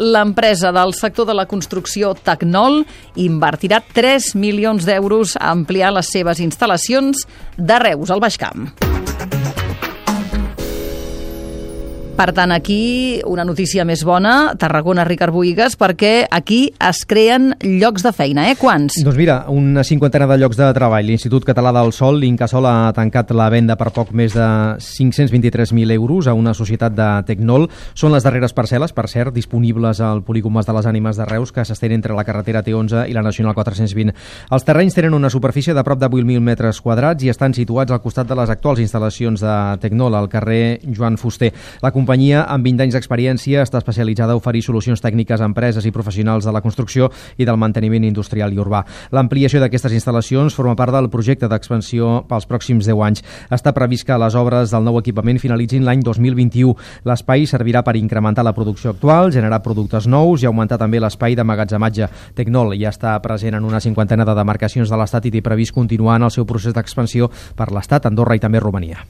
L'empresa del sector de la construcció Tecnol invertirà 3 milions d'euros a ampliar les seves instal·lacions de Reus, al Baix Camp. Per tant, aquí una notícia més bona, Tarragona, Ricard Bohigas, perquè aquí es creen llocs de feina. Quants? Doncs mira, una cinquantena de llocs de treball. L'Institut Català del Sòl, l'Incasòl, ha tancat la venda per poc més de 523.000 euros a una societat de Tecnol. Són les darreres parcel·les, per cert, disponibles al polígon Mas de les Ànimes de Reus, que s'estén entre la carretera T11 i la Nacional 420. Els terrenys tenen una superfície de prop de 8.000 metres quadrats i estan situats al costat de les actuals instal·lacions de Tecnol, al carrer Joan Fuster. La companyia, amb 20 anys d'experiència, està especialitzada a oferir solucions tècniques a empreses i professionals de la construcció i del manteniment industrial i urbà. L'ampliació d'aquestes instal·lacions forma part del projecte d'expansió pels pròxims 10 anys. Està previst que les obres del nou equipament finalitzin l'any 2021. L'espai servirà per incrementar la producció actual, generar productes nous i augmentar també l'espai d'emmagatzematge. Tecnol ja està present en una cinquantena de demarcacions de l'Estat i té previst continuar en el seu procés d'expansió per l'Estat, Andorra i també Romania.